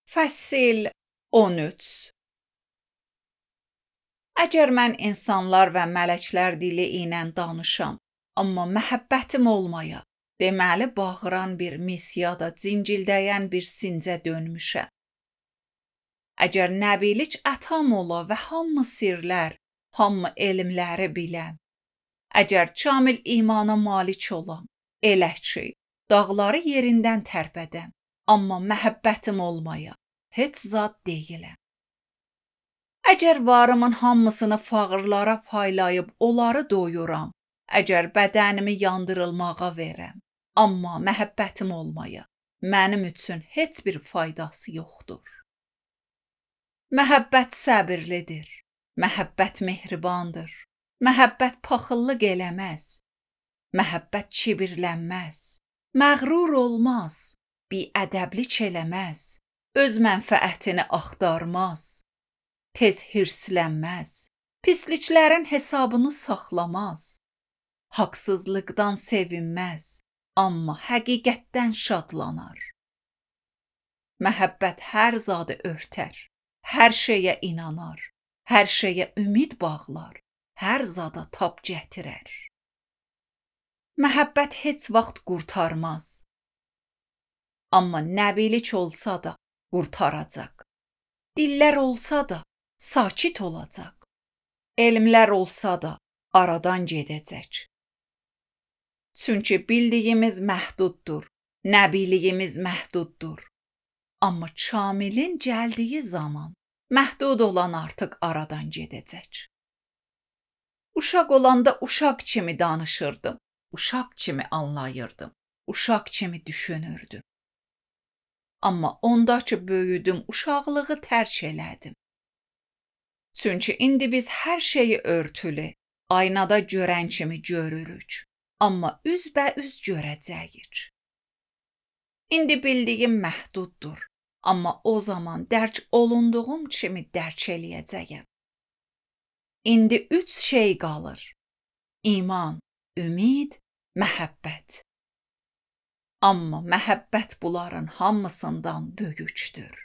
Fəsil 13. Əgər mən insanlar və mələklər dili ilə danışam, amma məhəbbətim olmaya, deməli bağıran bir mis ya da cincildəyən bir sincə dönmüşəm. Əgər nəbilik ətam ola və hamı sirlər, hamı elmləri biləm, əgər kamil imana malik olam, elə ki, dağları yerindən tərpədəm, amma məhəbbətim olmaya, heç zad deyiləm. Əgər varımın hamısını fağırlara paylayıb onları doyuram, əgər bədənimi yandırılmağa verəm, amma məhəbbətim olmaya, mənim üçün heç bir faydası yoxdur. Məhəbbət səbirlidir, məhəbbət mehribandır, məhəbbət paxıllıq eləməz, məhəbbət kibirlənməz, məğrur olmaz, biədəblik eləməz, öz mənfəətini axtarmaz, tez hirslənməz, pisliklərin hesabını saxlamaz, haqsızlıqdan sevinməz, amma həqiqətdən şadlanar. Məhəbbət hər zadı örtər, hər şeyə inanar, hər şeyə ümid bağlar, hər zada tab gətirər. Məhəbbət heç vaxt qurtarmaz, amma nəbilik olsa da qurtaracaq. Dillər olsa da sakit olacaq. Elmlər olsa da aradan gedəcək. Çünki bildiyimiz məhduddur, nəbiliyimiz məhduddur. Amma kamilin gəldiyi zaman məhdud olan artıq aradan gedəcək. Uşaq olanda uşaq kimi danışırdım, uşaq kimi anlayırdım, uşaq kimi düşünürdüm. Amma onda ki böyüdüm, uşaqlığı tərk elədim. Çünki indi biz hər şeyi örtülü, aynada görən kimi görürük, amma üzbəüz görəcəyik. İndi bildiyim məhduddur, amma o zaman dərk olunduğum kimi dərk eləyəcəyəm. İndi 3 şey qalır: iman, ümid, məhəbbət. Amma məhəbbət bunların hamısından böyükdür.